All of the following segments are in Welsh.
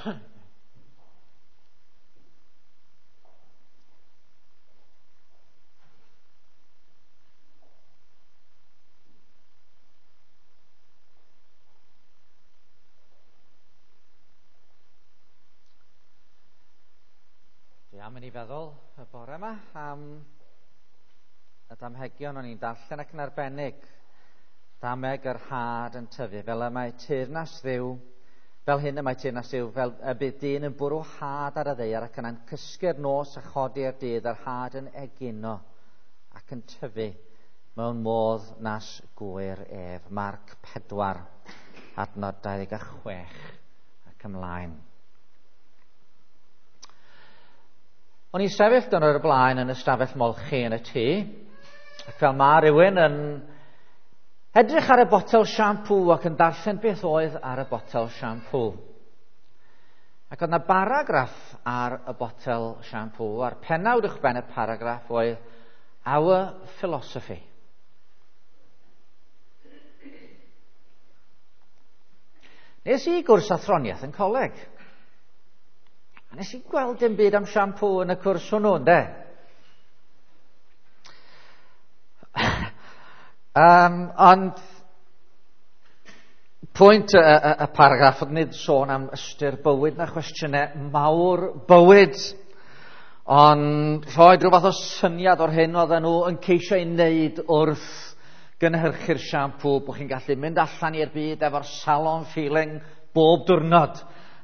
Dwi am i ni feddwl y bore yma am y damhegion o'n i'n darllen ac yn arbennig dameg yr had yn tyfu, fel y mae teyrnas Dduw, fel hyn y mae teyrnas Dduw, fel y bydd dyn yn bwrw had ar y ddaear ac yna'n cysgu'r nos a chodi'r dydd, yr had yn egino ac yn tyfu mewn modd nas gŵyr ef. Marc 4, adnod 26 ac ymlaen. O'n i'n sefyll dyn o'r blaen yn y stafell molchi yn y tŷ, ac fel mae rhywun yn edrych ar y botel siampŵ ac yn darllen beth oedd ar y botel siampŵ. Ac oedd yna baragraff ar y botel siampŵ, a'r pennawd uwchben y paragraff oedd Our Philosophy. Nes i gwrs athroniaeth yn coleg. A nes i gweld dim byd am siampŵ yn y cwrs hwnnw, ynde? Ond pwynt y paragraff oedd nid sôn am ystyr bywyd na chwestiynau mawr bywyd, ond rhoi rhyw fath o syniad o'r hyn oedden nhw yn ceisio ei wneud wrth gynhyrchu'r siampŵ, bod chi'n gallu mynd allan i'r byd efo'r salon feeling bob diwrnod,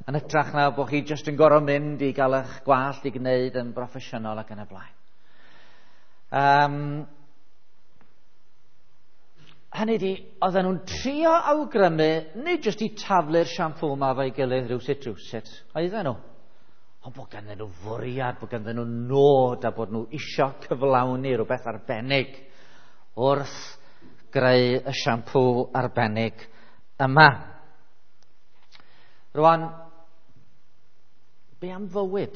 yn hytrach na bod chi jyst yn gorfod mynd i gael eich gwallt i gwneud yn broffesiynol ac yn y blaen. Hynny ydi, oedden nhw'n trio awgrymu, nid jyst i taflu'r siampŵ yma efo'i gilydd rhywsut rhywsut, oedden nhw, ond bod ganddyn nhw fwriad, bod ganddyn nhw nod a bod nhw isio cyflawni rhywbeth arbennig wrth greu y siampŵ arbennig yma. Rwan, be am fywyd?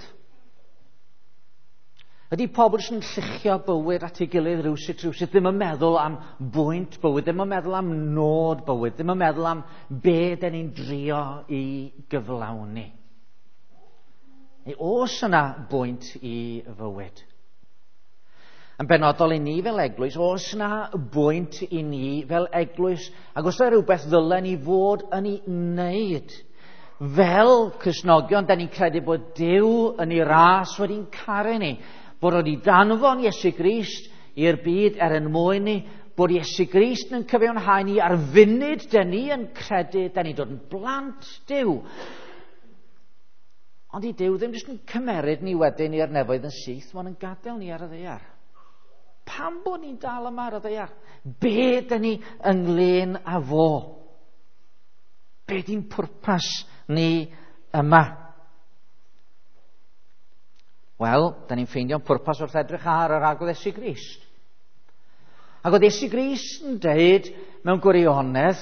Ydy pobl sy'n lluchio bywyd at ei gilydd rhywsut rhywsut ddim yn meddwl am bwynt bywyd, ddim yn meddwl am nod bywyd, ddim yn meddwl am be den ni'n drio i gyflawni? Neu oes yna bwynt i fywyd? Yn benodol i ni fel eglwys, oes yna bwynt i ni fel eglwys? Ac oes yna rhywbeth ddylen ni fod yn ei wneud? Fel Cristnogion, da ni'n credu bod Duw yn ei ras wedi'n caru ni, bod wedi danfon Iesu Grist i'r byd er yn mwyn ni, bod Iesu Grist yn cyfiawnhau ni ar funud da ni yn credu, da ni'n dod yn blant Duw. Ond i Duw ddim jyst yn cymeryd ni wedyn i'r nefoedd yn syth, mae'n yn gadael ni ar y ddaear. Pam bod ni'n dal yma ar y ddaear? Be da ni ynglyn â fo? Be di'n pwrpas ni yma? Wel, da ni'n ffeindio'n pwrpas wrth edrych ar yr Arglwydd Iesu Grist. Ac oedd Iesu Grist yn deud mewn gwirionedd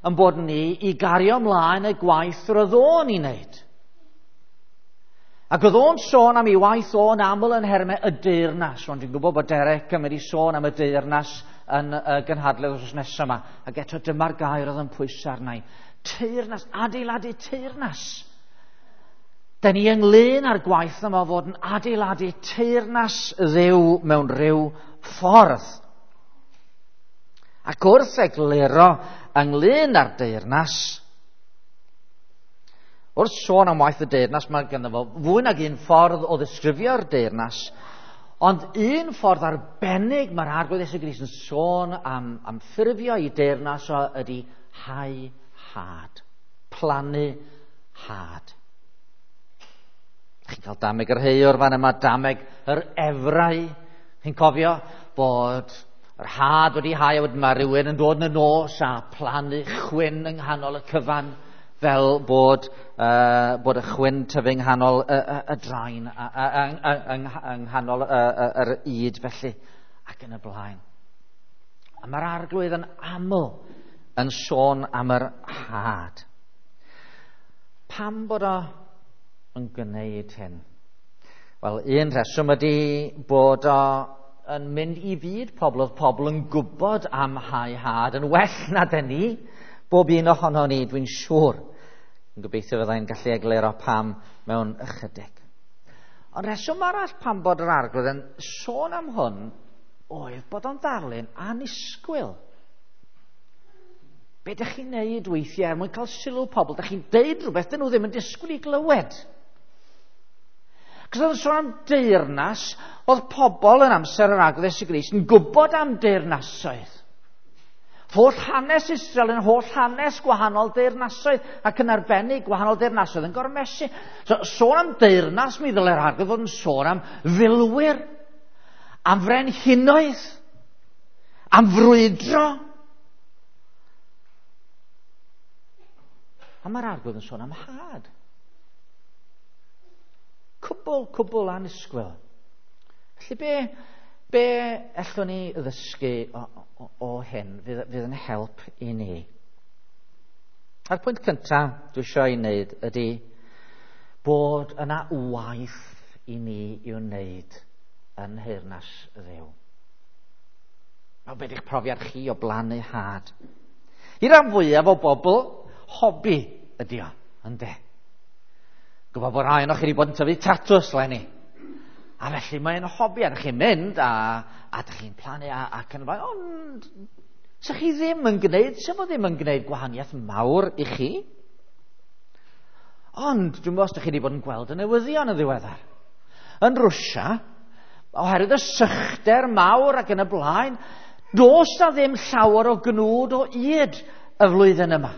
yn bod ni i gario ymlaen y gwaith roedd o'n ei wneud. Ac oedd o'n sôn am ei waith o'n aml yn nhermau y deyrnas. Rwan, dwi'n gwybod bod Derek yn mynd i sôn am y deyrnas yn y gynhadledd wythnos nesaf yma. Ac eto dyma'r gair oedd yn pwyso arna i. Teyrnas, adeiladu teyrnas. Da ni ynglyn â'r gwaith yma o fod yn adeiladu teyrnas Dduw mewn rhyw ffordd. Ac wrth egluro ynglyn â'r deyrnas, wrth sôn am waith y deyrnas, mae ganddo fo fwy nag un ffordd o ddisgrifio'r deyrnas, ond un ffordd arbennig mae'r Arglwydd Iesu Grist yn sôn am ffurfio ei deyrnas o ydy hau had, plannu had. Chi'n cael dameg yr heiwr fan yma, dameg yr efrau. Chi'n cofio bod yr had wedi hau, a wedyn mae rhywun yn dod yn y nos a plannu chwyn yng nghanol y cyfan, fel bod y chwyn tyfu yng nghanol y draen, yng nghanol yr ŷd felly, ac yn y blaen. A mae'r Arglwydd yn aml yn sôn am yr had. Pam bod o yn gwneud hyn? Wel, un rheswm ydy bod o yn mynd i fyd pobl, oedd pobl yn gwybod am hau had yn well na dyn ni, bob un ohono ni, dwi'n siŵr. Yn gobeithio fyddai'n gallu egluro pam mewn ychydig. Ond rheswm arall pam bod yr Arglwydd yn sôn am hwn oedd bod o'n ddarlun annisgwyl. Be ydych chi'n neud weithiau er mwyn cael sylw pobl? Ydych chi'n deud rhywbeth dyn nhw ddim yn disgwyl i glywed. Cos oedd yn sôn am deyrnas, oedd pobl yn amser yr Arglwydd Iesu Grist yn gwybod am deyrnasoedd. Holl hanes Israel yn holl hanes gwahanol deyrnasoedd ac yn arbennig gwahanol deyrnasoedd yn gormesu. So, sôn am deyrnas, mi ddylai'r Arglwydd fod yn sôn am filwyr, am frenhinoedd, am frwydro. A mae'r Arglwydd yn sôn am had. Cwbl annisgwyl. Felly be allwn ni ddysgu o hyn fydd yn help i ni? A'r pwynt cyntaf dwi eisiau ei wneud ydy bod yna waith i ni i'w wneud yn nheyrnas Dduw. Wel, be di'ch profiad chi o blannu had? I ran fwyaf o bobl, hobi ydy o, ynde? Gwybod bod rhai ohonoch chi wedi bod yn tyfu tatws leni. A felly mae'n hobi, a ydych chi'n mynd a ydych chi'n plannu ac yn y blaen, ond sa chi ddim yn gwneud, sa fo ddim yn gwneud gwahaniaeth mawr i chi. Ond dwi'n meddwl os ydych chi wedi bod yn gweld y newyddion yn ddiweddar. Yn Rwsia, oherwydd y sychder mawr ac yn y blaen, does na ddim llawer o gnwd o ŷd y flwyddyn yma.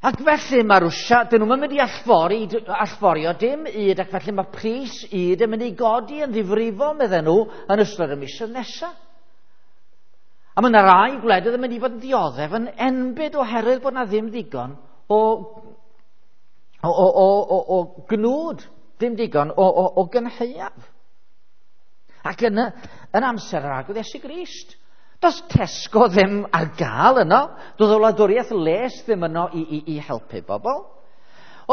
Ac felly mae Rwsia, dyn nhw'n mynd i allforio dim ŷd, ac felly mae pris ŷd yn mynd i godi yn ddifrifol, medden nhw, yn ystod y misoedd nesaf. A mae yna rai gwledydd yn mynd i fod yn dioddef yn enbyd oherwydd bod yna ddim digon o gnwd, ddim digon o gynhaeaf. Ac yn amser yr Arglwydd Iesu Grist, does Tesco ddim ar gael yno, doedd y wladwriaeth les ddim yno i helpu bobl.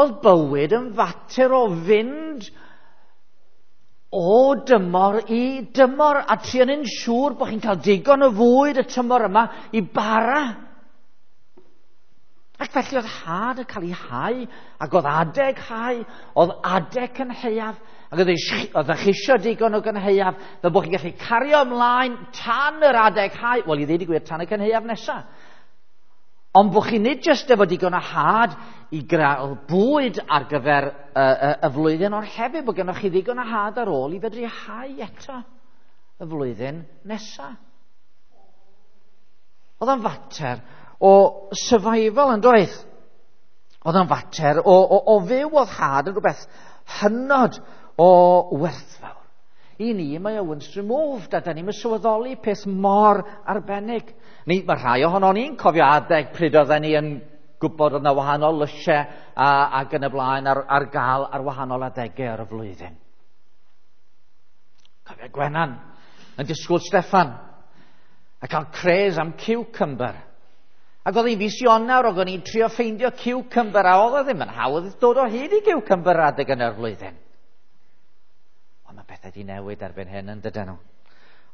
Oedd bywyd yn fater o fynd o dymor i dymor a trio yn siŵr bod chi'n cael digon o fwyd y tymor yma i bara. Ac felly oedd had yn cael ei hau, ac oedd adeg hau, oedd adeg cynhaeaf, ac oedd chi eisiau digon o gynhaeaf, fel bod chi'n gallu cario ymlaen tan yr adeg hau, wel i ddweud y gwir, tan y cynhaeaf nesaf. Ond bod chi nid jyst efo digon o had i gael bwyd ar gyfer y flwyddyn, ond hefyd bod gennych chi ddigon o had ar ôl i fedru hau eto y flwyddyn nesaf. Oedd o'n fater o survival yn doedd. Oedd o'n fater o fyw, oedd had yn rhywbeth hynod o werthfawr. I ni, mae o once removed, a da ni'n sylweddoli peth mor arbennig. Ni, mae rhai ohono ni'n cofio adeg pryd oedden ni yn gwybod oedd yna wahanol lysiau ac yn y blaen ar gael ar wahanol adegau ar y flwyddyn. Cofio Gwenan yn disgwyl Steffan a cael cres am cucumber. Ac oedd hi'n fis Ionawr, oedd ni'n trio ffeindio cucumber, a oedd o ddim yn hawdd dod o hyd i cucumber adeg yn yr flwyddyn. Ond mae pethau wedi newid erbyn hyn, yn dydyn nhw.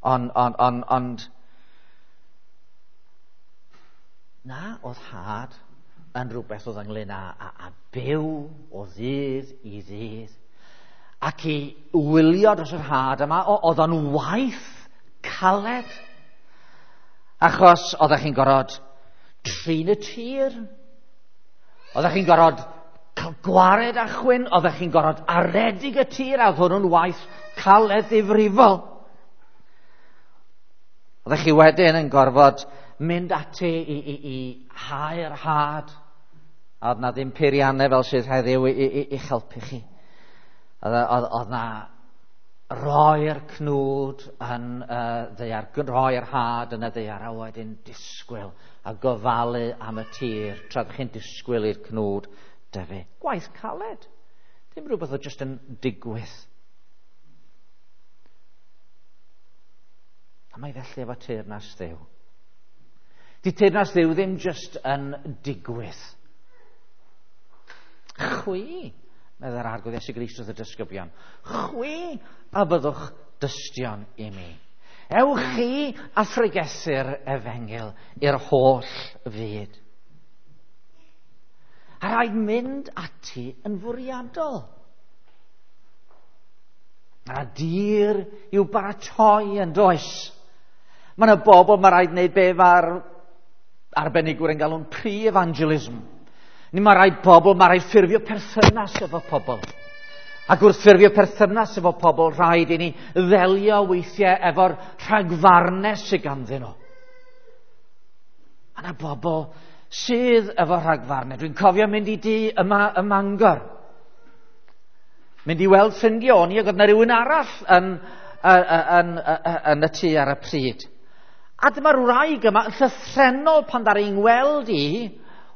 Ond na, oedd had yn rhywbeth oedd ynglyn â byw o ddydd i ddydd. Ac i wylio dros yr had yma, oedd o'n waith caled. Achos oeddech chi'n gorfod trin y tir, oeddech chi'n gorfod cael gwared a chwyn, oeddech chi'n gorfod aredig y tir, a oedd hwnnw'n waith caled ddifrifol. Oeddech chi wedyn yn gorfod mynd ati i hau'r had, a oedd na ddim peiriannau fel sydd heddiw i'ch helpu chi. Oedd na roi'r cnwd yn y ddaear, roi'r had yn y ddaear, a wedyn disgwyl a gofalu am y tir tra ydych chi'n disgwyl i'r cnwd dyfu. Gwaith caled. Dim rhywbeth oedd jyst yn digwydd. A mae felly efo teyrnas Dduw. Di teyrnas Dduw ddim jyst yn digwydd. Chwi, meddai'r Arglwydd Iesu Grist wrth y disgyblion, chwi a byddwch dystion i mi. Ewch chi a phregethu'r efengyl i'r holl fyd. A A rhaid mynd ati yn fwriadol. Mae yna dir i'w baratoi yn does. Mae yna bobl, mae rhaid wneud be mae'r arbenigwyr yn galw'n pre-evangelism. Ni mae rhaid pobl, mae rhaid ffurfio perthynas efo pobl. Ac wrth ffurfio perthynas efo pobl, rhaid i ni ddelio weithiau efo'r rhagfarnau sydd ganddyn nhw. Mae yna bobl sydd efo rhagfarnau. Dwi'n cofio mynd i dŷ yma ym Mangor. Mynd i weld ffrindiau o'n i, ac oedd yna rhywun arall yn y tŷ ar y pryd. A dyma'r wraig yma yn llythrennol pan ddaru hi'n weld i,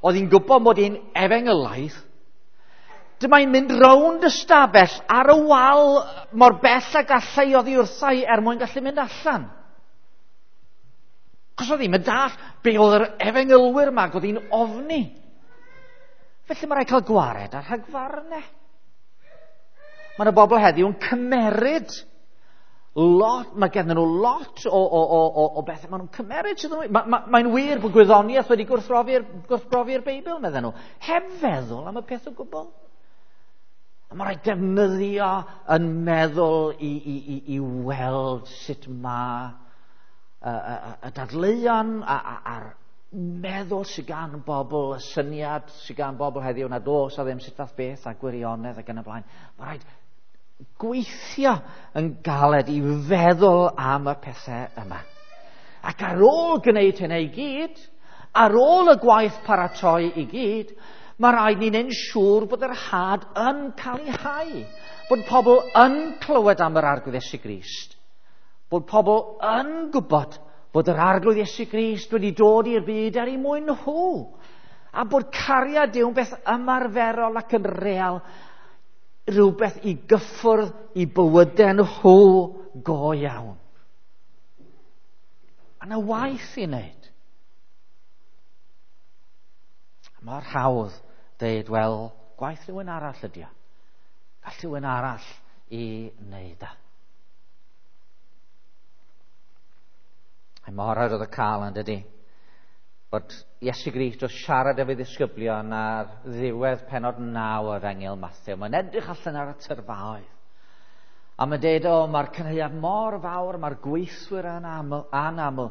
oedd hi'n gwybod mod i'n efengylaidd, dyma hi'n mynd rownd y stafell ar y wal mor bell ag allai oddi wrtha i er mwyn gallu mynd allan. Cos oedd hi'n dall be oedd yr efengylwyr yma, ac oedd hi'n ofni. Felly mae rhaid cael gwared ar rhagfarnau. Mae yna bobl heddiw yn cymeryd lot, mae gennym nhw lot o bethau maen nhw'n cymeryd sydd yn... Mae'n wir bod gwyddoniaeth wedi gwrthbrofi'r Beibl, medden nhw, heb feddwl am y peth o gwbl. A mae rhaid defnyddio yn meddwl i weld sut mae y dadleuon a'r meddwl sydd gan bobl, y syniad sydd gan bobl heddiw nad oes a ddim sut fath beth a gwirionedd ac yn y blaen. Mae rhaid gweithio yn galed i feddwl am y pethau yma. Ac ar ôl gwneud hynny i gyd, ar ôl y gwaith paratoi i gyd, mae rhaid ni'n neud siŵr bod yr had yn cael ei hau, bod pobl yn clywed am yr Arglwydd Iesu Grist, bod pobl yn gwybod bod yr Arglwydd Iesu Grist wedi dod i'r byd er eu mwyn nhw, a bod cariad Duw yn beth ymarferol ac yn real, rhywbeth i gyffwrdd i bywydau nhw go iawn. Mae yna waith i wneud. Mor hawdd dweud, wel, gwaith rhywun arall ydi o. Gall rhywun arall i wneud o. Mae mor arwydd y cael yn dydi, bod Iesu Grist wrth siarad efo'i ddisgyblion ar ddiwedd pennod 9 o'r Efengyl Mathew. Mae'n edrych allan ar y tyrfaoedd. A mae'n dweud, o, mae'r cynhaeaf mor fawr, mae'r gweithwyr yn anaml.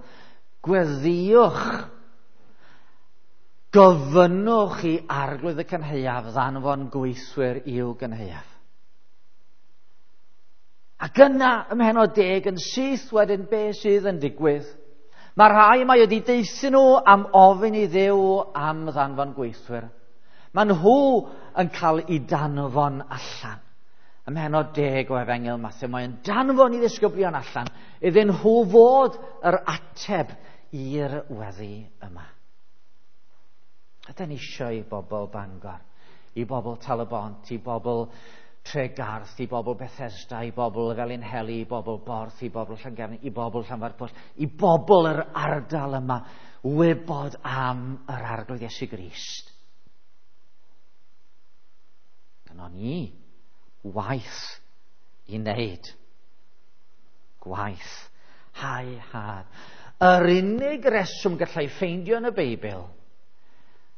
Gweddïwch, gofynnwch i Arglwydd y cynhaeaf ddanfon gweithwyr i'w gynhaeaf. Ac yna, ym mhennod 10, yn syth wedyn be sydd yn digwydd. Mae rhai mae wedi deuthu nhw am ofyn i Dduw am ddanfon gweithwyr. Mae nhw yn cael eu danfon allan. Ym mhennod 10 o Efengyl Mathew, mae'n danfon i ddisgyblion allan iddyn nhw fod yr ateb i'r weddi yma. Ydan ni eisiau i bobl Bangor, i bobl Tal-y-bont, i bobl Tregarth, i bobl Bethesda, i bobl Felinheli, i bobl Borth, i bobl Llangefni, i bobl Llanfairpwll, i bobl yr ardal yma wybod am yr Arglwydd Iesu Grist. Gynnon ni waith i wneud. Gwaith. Hau had. Yr unig reswm gallai ffeindio yn y Beibl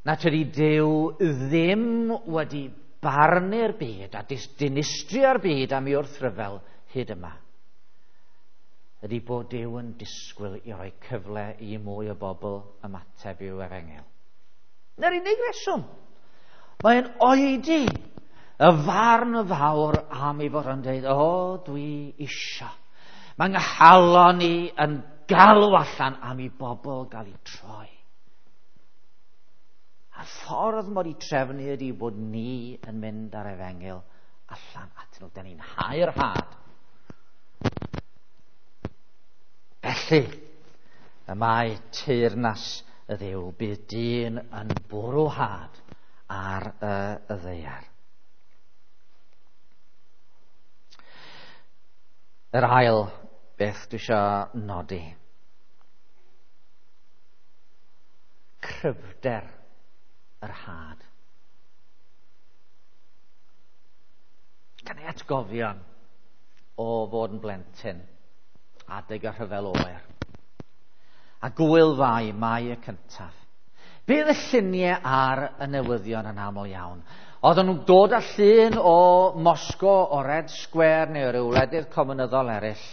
na tydi Duw ddim wedi barnu'r byd a dinistrio'r byd am ei wrthryfel hyd yma, ydy bod Duw yn disgwyl i roi cyfle i mwy o bobl ymateb i'w efengyl. Na'r unig reswm. Mae'n oedi y farn fawr am ei fod yn dweud, o, dwi isio. Mae nghalon i yn galw allan am i bobl gael eu troi. A'r ffordd mod i trefnu ydy bod ni yn mynd ar efengyl allan atyn nhw. Da ni'n hau'r had. Felly, y mae teyrnas y Dduw, bydd dyn yn bwrw had ar y ddaear. Yr ail beth dwi eisiau nodi. Cryfder yr had. Gan ei atgofion o fod yn blentyn adeg y rhyfel oer. A gwyl Fai, Mai y cyntaf. Bydd y lluniau ar y newyddion yn aml iawn. Oedden nhw'n dod â llun o Moscow, o Red Square neu o ryw wledydd cominyddol eraill,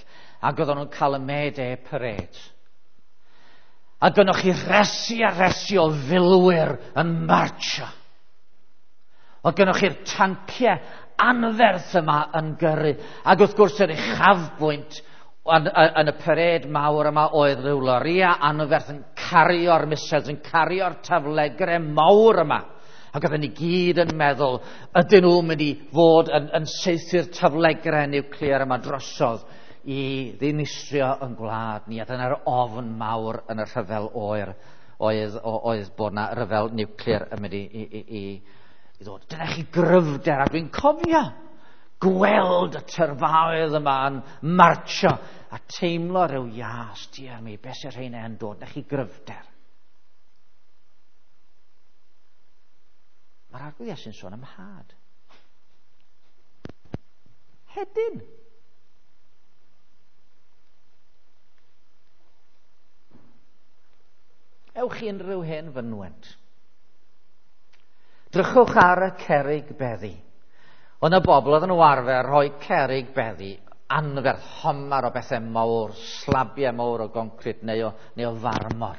ac oedden nhw'n cael y May Day Parade. A gynnoch chi resi a resi o filwyr yn marcho. Oedd gynnoch chi'r tanciau anferth yma yn gyrru. Ac wrth gwrs yr uchafbwynt yn y parade mawr yma oedd rhyw loria anferth yn cario'r missiles, yn cario'r taflegrau mawr yma. Ac oedden ni gyd yn meddwl, ydyn nhw'n mynd i fod yn saethu'r taflegrau niwclear yma drosodd i ddinistrio yn gwlad ni. A dyna'r ofn mawr yn y rhyfel oer oedd bod na ryfel niwclear yn mynd i ddod. Dyna chi gryfder, a dwi'n cofio gweld y tyrfaoedd yma yn marcho a teimlo rhyw ias, diar mi, beth sy'n rheina yn dod, na chi gryfder. Mae'r Arglwydd Iesu'n sôn am had. Hedyn. Ewch i unrhyw hen fynwent. Drychwch ar y cerrig beddi. Oedd yna bobl oedd nhw arfer rhoi cerrig beddi anferth, homar o bethau mawr, slabiau mawr o goncrit neu o farmor.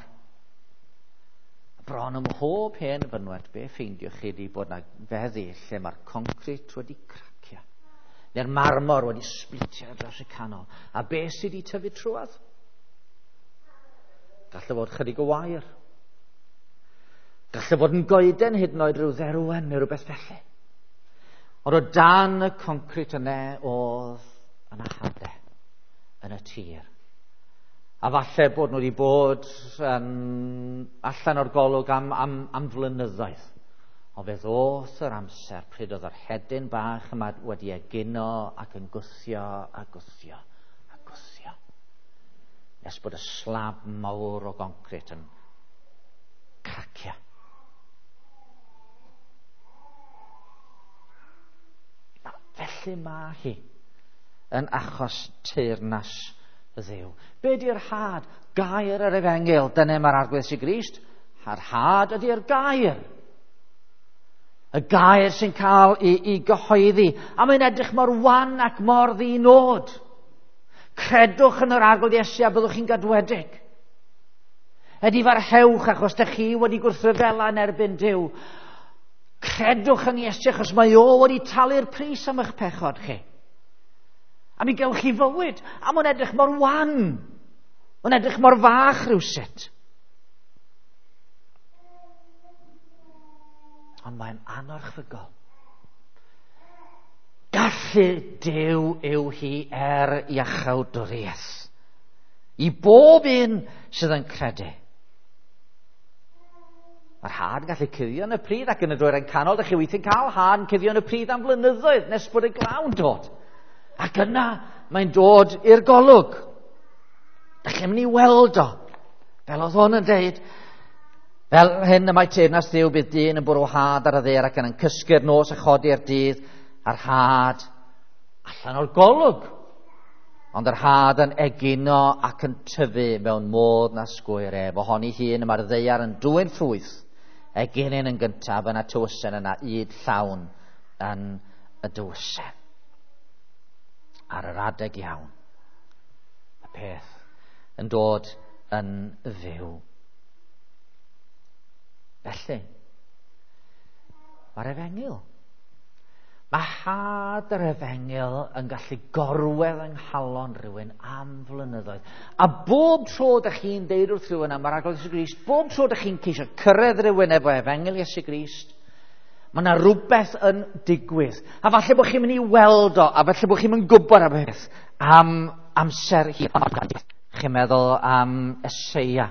Bron ym mhob hen fynwent, be ffeindiwch chi di bod na feddi lle mae'r concrit wedi cracio, neu'r marmor wedi splitio dros y canol. A be sydd wedi tyfu trwodd? Gallai fod chydig o wair. Gallai fod yn goeden hyd yn oed rhyw dderwen neu rhywbeth felly. Ond o dan y concrit yna oedd yna hadau yn y tir. A falle bod nhw wedi bod allan o'r golwg am flynyddoedd. Ond fe ddoth yr amser pryd oedd yr hedyn bach yma wedi egino ac yn gwthio a gwthio a gwthio. Nes bod y slab mawr o goncrit yn cracio. Felly mae hi yn achos teyrnas Dduw. Be di'r had? Gair yr efengyl. Dyna mae'r Arglwydd Iesu Grist. A'r had ydy'r gair. Y gair sy'n cael ei gyhoeddi. A mae'n edrych mor wan ac mor ddinod. Credwch yn yr Arglwydd Iesu a byddwch chi'n gadwedig. Edifarhewch achos dych chi wedi gwrthryfela yn erbyn Duw. Credwch yn Iesu achos mae o wedi talu'r pris am eich pechod chi. A mi gewch chi fywyd. A mae'n edrych mor wan. Mae'n edrych mor fach rhywsut. Ond mae'n anorchfygol. Gallu Duw yw hi er iachawdwriaeth. I bob un sydd yn credu. Mae'r had yn gallu cuddio yn y pridd ac yn y dwyrain canol. Dych chi weithiau'n cael had yn cuddio yn y pridd am flynyddoedd nes bod y glaw'n dod. Ac yna mae'n dod i'r golwg. Dych chi'n mynd i weld o. Fel oedd hwn yn deud, fel hyn y mae teyrnas Dduw, bydd dyn yn bwrw had ar y ddaear ac yn cysgu'r nos a chodi'r dydd a'r had allan o'r golwg. Ond yr had yn egino ac yn tyfu mewn modd na sgwyr ef. Ohoni hun y mae'r ddaear yn dwyn ffrwyth, eginyn yn gyntaf, yna tywysen, yna ŷd llawn yn y dywysen. Ar yr adeg iawn, y peth yn dod yn fyw. Felly, mae'r efengyl. Mae had yr efengyl yn gallu gorwedd yng nghalon rhywun am flynyddoedd. A bob tro dych chi'n deud wrth rhywun am yr Arglwydd Iesu Grist, bob tro dych chi'n ceisio cyrraedd rhywun efo efengyl Iesu Grist, mae yna rhywbeth yn digwydd. A falle bod chi'n mynd i weld o, a falle bod chi'n mynd gwybod am beth am amser hir. Chi'n meddwl am Eseia.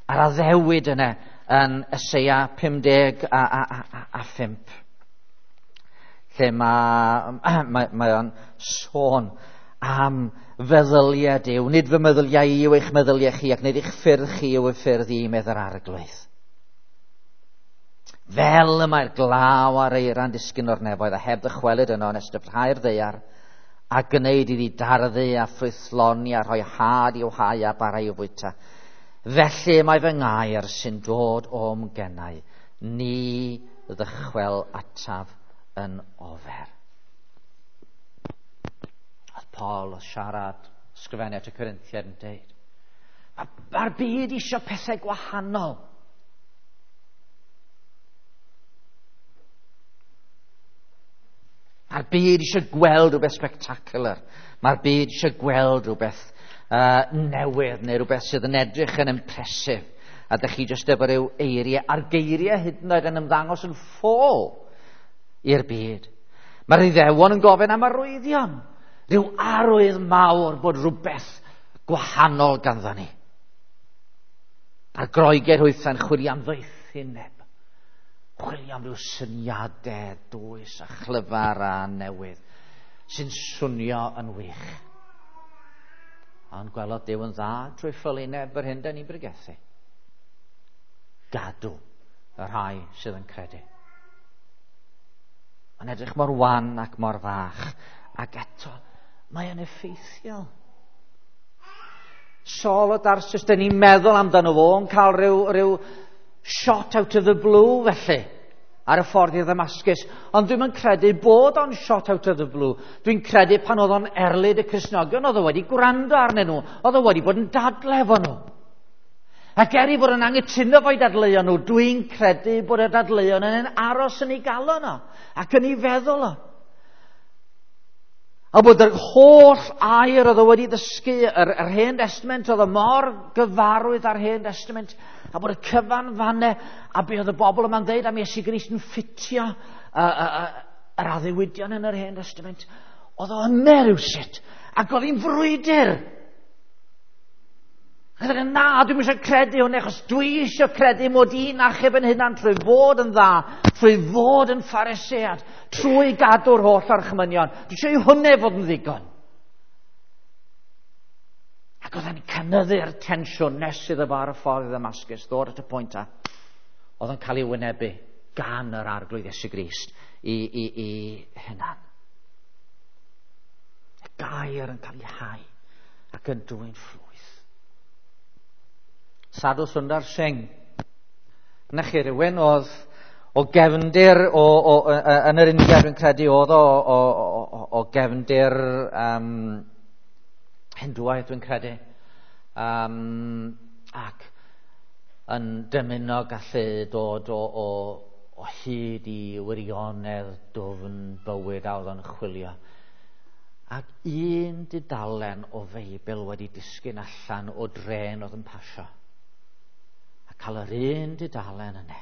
A'r addewid yna yn Eseia 55. Lle mae o'n sôn am feddyliau Duw. Nid fy meddyliau i yw eich meddyliau chi, ac nid eich ffyrdd chi yw eich ffyrdd i, medd yr Arglwydd. Fel y mae'r glaw a'r eira'n disgyn o'r nefoedd a heb ddychwelyd yno nes dyfrhau'r ddaear a gwneud iddi darddu a ffrwythloni a rhoi had i'w hau a bara i'w fwyta. Felly mae fy ngair sy'n dod o'm gennau, ni ddychwel ataf yn ofer. Oedd Paul o siarad, sgrifennu at y Corinthiaid yn deud, mae'r byd eisiau pethau gwahanol. Mae'r byd eisiau gweld rhywbeth spectacular. Mae'r byd eisiau gweld rhywbeth newydd neu rhywbeth sydd yn edrych yn impressive. A dych chi jyst efo rhyw eiriau, a'r geiriau hyd yn oed yn ymddangos yn ffôl i'r byd. Mae'r Iddewon yn gofyn am arwyddion. Rhyw arwydd mawr bod rhywbeth gwahanol ganddo ni. A'r Groegiaid hwythau'n chwilio am ddoethineb. Chwilio am ryw syniadau dwys a chlyfar a newydd sy'n swnio yn wych. Ond gwelodd Duw yn dda trwy ffolineb yr hyn da ni'n bregethu. Gadw y rhai sydd yn credu. Mae'n edrych mor wan ac mor fach, ac eto mae yn effeithiol. Saul o Darsus, dyn ni'n meddwl amdano fo, yn cael rhyw shot out of the blue felly, ar y ffordd i Ddamascus. Ond dwi'm yn credu bod o'n shot out of the blue. Dwi'n credu pan oedd o'n erlid y Cristnogion, oedd o wedi gwrando arnyn nhw, oedd o wedi bod yn dadle efo nhw. Ac er i fod yn anghytuno fo'i dadleuon nhw, dwi'n credu bod y dadleuon yn aros yn ei galon o, ac yn ei feddwl o. A bod yr holl air oedd o wedi ddysgu, yr Hen Testament, oedd o mor gyfarwydd â'r Hen Testament, a bod y cyfan fanne, a be oedd y bobl yma'n dweud am Iesu Grist yn ffitio yr addewidion yn yr Hen Testament, oedd o yna rywsut, ac oedd hi'n frwydr. A dweud, na, dwi'm eisiau credu hwn, achos dwi eisiau credu mod i'n achub yn hunan trwy fod yn dda, trwy fod yn Pharisead, trwy gadw'r holl orchmynion. Dwi eisiau i hwnna fod yn ddigon. Ac oedd e'n cynyddu'r tensiwn nes iddo fo ar y ffordd i Ddamascus, ddod at y pwynt a oedd yn cael ei wynebu gan yr Arglwydd Iesu Grist i hunan. Y gair yn cael ei hau ac yn dwyn ffrwyth. Sadhu Sundar Singh. Na chi rhywun oedd o gefndir yn yr India, dwi'n credu, oedd o gefndir Hindŵaidd, dwi'n credu, ac yn dymuno gallu dod o hyd i wirionedd dwfn bywyd a oedd o'n chwilio. Ac un dudalen o Feibl wedi disgyn allan o drên oedd yn pasio. A cael yr un dudalen yna.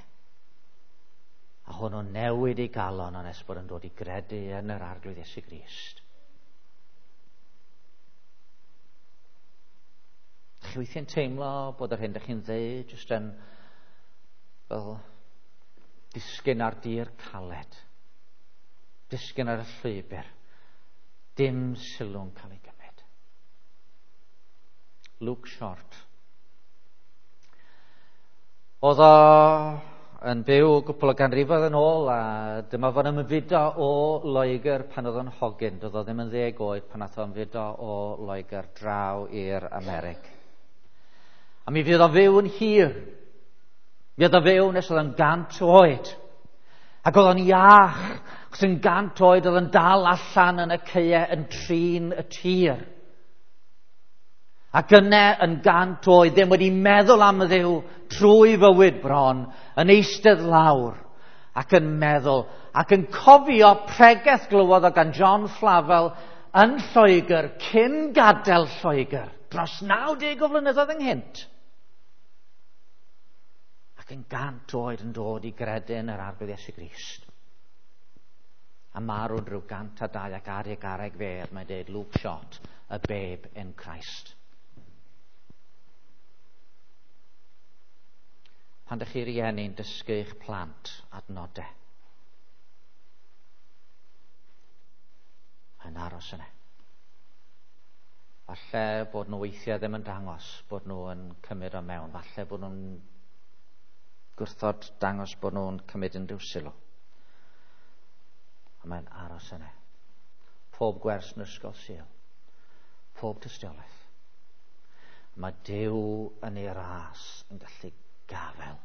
A hwnnw newid ei galon ond nes bod yn dod i gredu yn yr Arglwydd Iesu Grist. Chi weithiau'n teimlo bod yr hyn dych chi'n ddeud jyst yn fel disgyn ar dir caled, disgyn ar y llwybr, dim sylw'n cael ei gymryd. Luke Short. Oedd o yn byw gwpl o ganrifoedd yn ôl, a dyma fo'n ymfudo o Loegr pan oedd o'n hogyn. Doedd o ddim yn 10 oed pan nath o ymfudo o Loegr draw i'r Amerig. A mi fydd o fyw yn hir. Mi oedd o fyw nes oedd o'n 100 oed. Ac oedd o'n iach, achos yn 100 oed oedd yn dal allan yn y caeau yn trin y tir. Ac yna yn 100 oed ddim wedi meddwl am Dduw trwy fywyd bron, yn eistedd lawr ac yn meddwl, ac yn cofio pregeth glywodd o gan John Flavel yn Lloegr cyn gadael Lloegr, dros 90 o flynyddoedd ynghynt. Ac yn 100 oed yn dod i gredu yn yr Arglwydd Iesu Grist. A marw'n rhyw 102 ac ar ei garreg fedd, mae'n dweud Luke Short, a babe in Christ. Pan dych chi rieni'n dysgu eich plant adnodau, yn aros yna. Falle bod nhw weithiau ddim yn dangos bod nhw yn cymryd o mewn. Falle bod nhw'n gwrthod dangos bod nhw'n cymryd unrhyw sylw. A mae'n aros yna. Pob gwers yn ysgol Sul. Pob tystiolaeth. Mae Duw yn ei ras yn gallu gafel.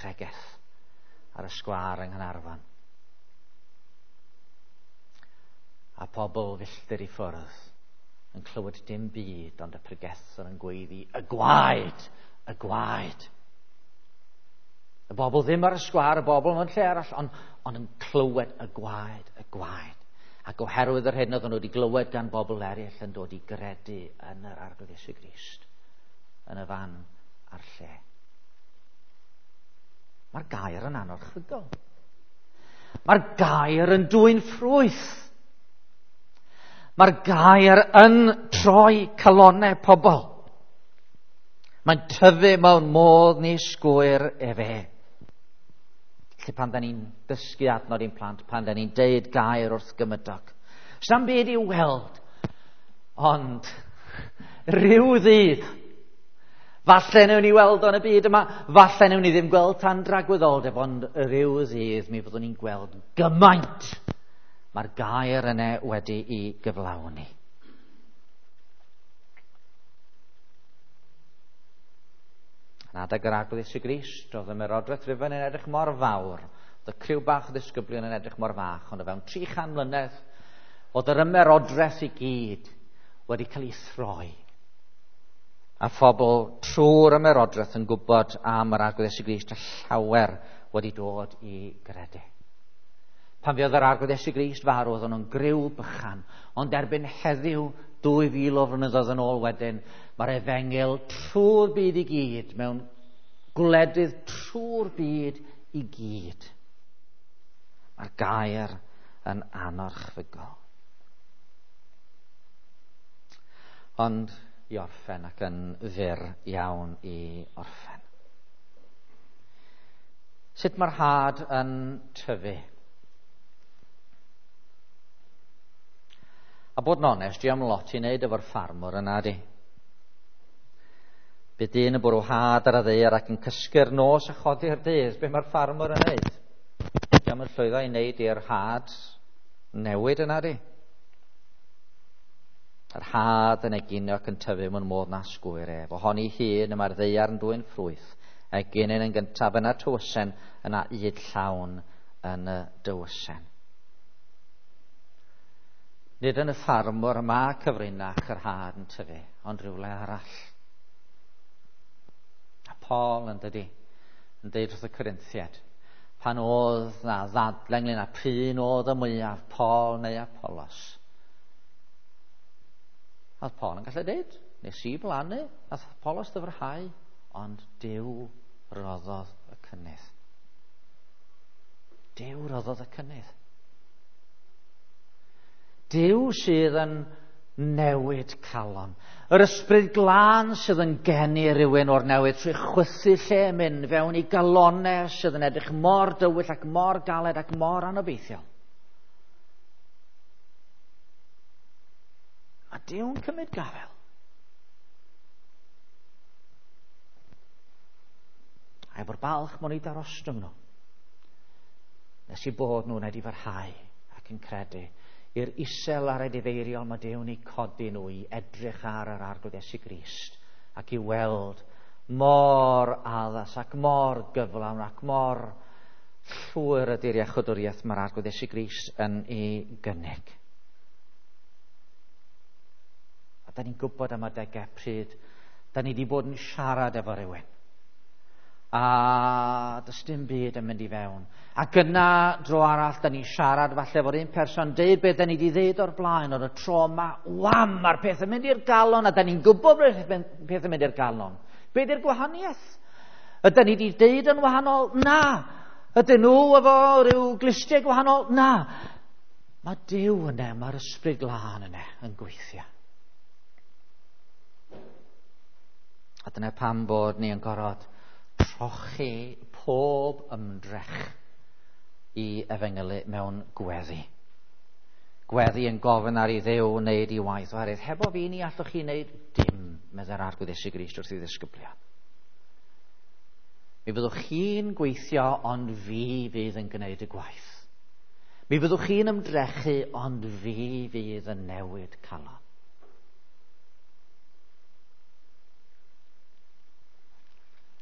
Pregeth ar y sgwâr yng Nghaernarfon. A pobl filltir i ffwrdd yn clywed dim byd ond y pregethwr yn gweiddi, y gwaed, y gwaed. Y bobl ddim ar y sgwâr, y bobl mewn lle arall, ond, ond yn clywed y gwaed, y gwaed. Ac oherwydd yr hyn oedden nhw wedi glywed gan bobl eraill yn dod i gredu yn yr Arglwydd Iesu Grist, yn y fan a'r lle. Mae'r gair yn anorchfygol. Mae'r gair yn dwyn ffrwyth. Mae'r gair yn troi calonnau pobl. Mae'n tyfu mewn modd ni sgwyr efe. Felly pan da ni'n dysgu adnod i'n plant, pan da ni'n deud gair wrth gymydog, sa'm byd i'w weld, ond rhyw ddydd, falle newn ni weld o'n y byd yma, falle newn ni ddim gweld tan dragwyddoldeb, ond rhyw ddydd mi fyddwn ni'n gweld gymaint mae'r gair yna wedi'i gyflawni. Yn adeg yr Arglwydd Iesu Grist, oedd y merodraeth Rufain yn edrych mor fawr, oedd y criw bach o ddisgyblion yn edrych mor fach, ond o fewn 300 mlynedd, oedd yr ymerodraeth i gyd wedi cael ei throi. A phobl trwy'r ymerodraeth yn gwybod am yr Arglwydd Iesu Grist a llawer wedi dod i gredu. Pan fuodd yr Arglwydd Iesu Grist farw, oedden nhw'n griw bychan, ond erbyn heddiw, 2000 o flynyddoedd yn ôl wedyn, mae'r efengyl trwy'r byd i gyd, mewn gwledydd trwy'r byd i gyd. Mae'r gair yn anorchfygol. Ond i orffen ac yn fyr iawn i orffen. Sut mae'r had yn tyfu? A bod yn onest, dwi am lot i wneud efo'r ffarmwr yna, di. Bydd dyn yn bwrw had ar y ddaear ac yn cysgu'r nos a chodi'r dydd. Be mae'r ffarmwr yn wneud? Di am yn llwyddo i wneud i'r had newid yna, di. Yr had yn egino ac yn tyfu mewn modd na sgwyr ef. Ohoni hun y mae'r ddaear yn dwyn ffrwyth. Eginyn yn gyntaf, yna tywysen, yna ŷd llawn yn y dywysen. Nid yn y ffarmwr mae cyfrinach yr had yn tyfu, ond rhywle arall. A Paul yn dydi, yn deud wrth y Corinthiaid, pan oedd na ddadle ynglyn â p'un oedd y mwyaf, Paul neu Apollos. Oedd Paul yn gallu deud, nes i blannu, nath Apollos ddyfrhau, ond Duw roddodd y cynnydd. Duw roddodd y cynnydd. Duw sydd yn newid calon. Yr ysbryd glân sydd yn geni rhywun o'r newydd trwy chwythu lle mynd fewn i galonau sydd yn edrych mor dywyll ac mor galed ac mor anobeithiol. Mae Duw'n cymryd gafel. A efo'r balch mwyn i darostwng nhw. Nes i bod nhw'n edifarhau ac yn credu i'r isel a'r edifeiriol mae Duw'n eu codi nhw i edrych ar yr Arglwydd Iesu Grist ac i weld mor addas ac mor gyflawn ac mor llwyr ydy'r iachwdwriaeth mae'r Arglwydd Iesu Grist yn ei gynnig. A da ni'n gwybod am adegau pryd da ni wedi bod yn siarad efo rhywun. A does dim byd yn mynd i fewn. Ac yna, dro arall, da ni'n siarad falle efo'r un person, deud beth da ni wedi ddeud o'r blaen, ond y tro yma, wam, mae'r peth yn mynd i'r galon, a da ni'n gwybod bod peth yn mynd i'r galon. Be di'r gwahaniaeth? Ydyn ni wedi deud yn wahanol? Na. Ydyn nhw efo rhyw glustiau gwahanol? Na. Mae Duw yna, mae'r ysbryd glân yna yn gweithio. A dyna pam bod ni yn gorfod trochi pob ymdrech i efengylu mewn gweddi. Gweddi yn gofyn ar i Dduw wneud i waith, oherwydd hefo fi ni allwch chi wneud dim, meddai'r Arglwydd Iesu Grist wrth ei ddisgyblion. Mi fyddwch chi'n gweithio, ond fi fydd yn gwneud y gwaith. Mi fyddwch chi'n ymdrechu, ond fi fydd yn newid calon.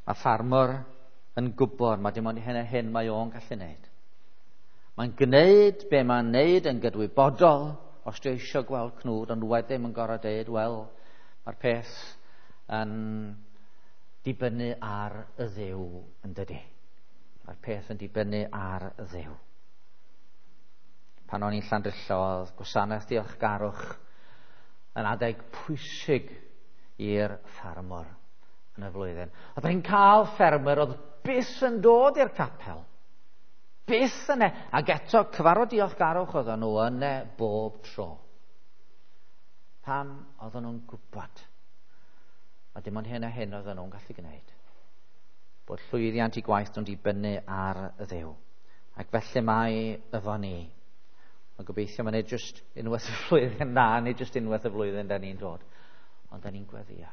Mae ffarmwr yn gwybod mae dim ond hyn a hyn mae o'n gallu wneud. Mae'n gwneud be mae'n wneud yn gydwybodol, os dwi eisiau gweld cnwd, ond wedyn mae'n gorau deud, wel, mae'r peth yn dibynnu ar y Dduw yn dydy. Mae'r peth yn dibynnu ar y Dduw. Pan o'n i'n Llandrillo, oedd gwasanaeth diolchgarwch yn adeg pwysig i'r ffarmwr yn y flwyddyn. Oedden ni'n cael ffermwyr oedd byth yn dod i'r capel. Byth yna. Ac eto, cyfarfod diolchgarwch oedden nhw yna bob tro. Pam oedden nhw'n gwybod? A dim ond hyn a hyn oedden nhw'n gallu gwneud. Bod llwyddiant i gwaith nhw'n dibynnu ar y Dduw. Ac felly mae efo ni. Mae'n gobeithio mae'n nid jyst unwaith y flwyddyn na, nid jyst unwaith y flwyddyn da ni'n dod. Ond da ni'n gweddio.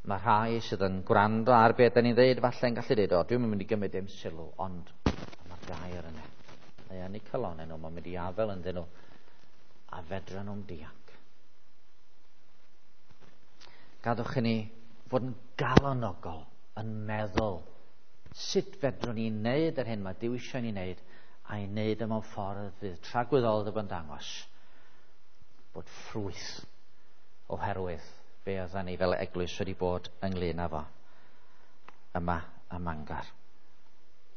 Mae rhai sydd yn gwrando ar beth da ni'n dweud, falle'n gallu dweud, o, dwi'n mynd i gymryd dim sylw, ond mae'r gair yna. Mae yn eu calonnau nhw, mae'n mynd i afel ynddyn nhw, a fedra nhw'n dianc. Gadwch i ni fod yn galonogol, yn meddwl, sut fedrwn ni wneud yr hyn mae Duw eisiau ni wneud, a'i wneud e mewn ffordd fydd tragwyddoldeb yn dangos bod ffrwyth oherwydd be oedden ni fel eglwys wedi bod ynglyn â fo yma ym Mangor.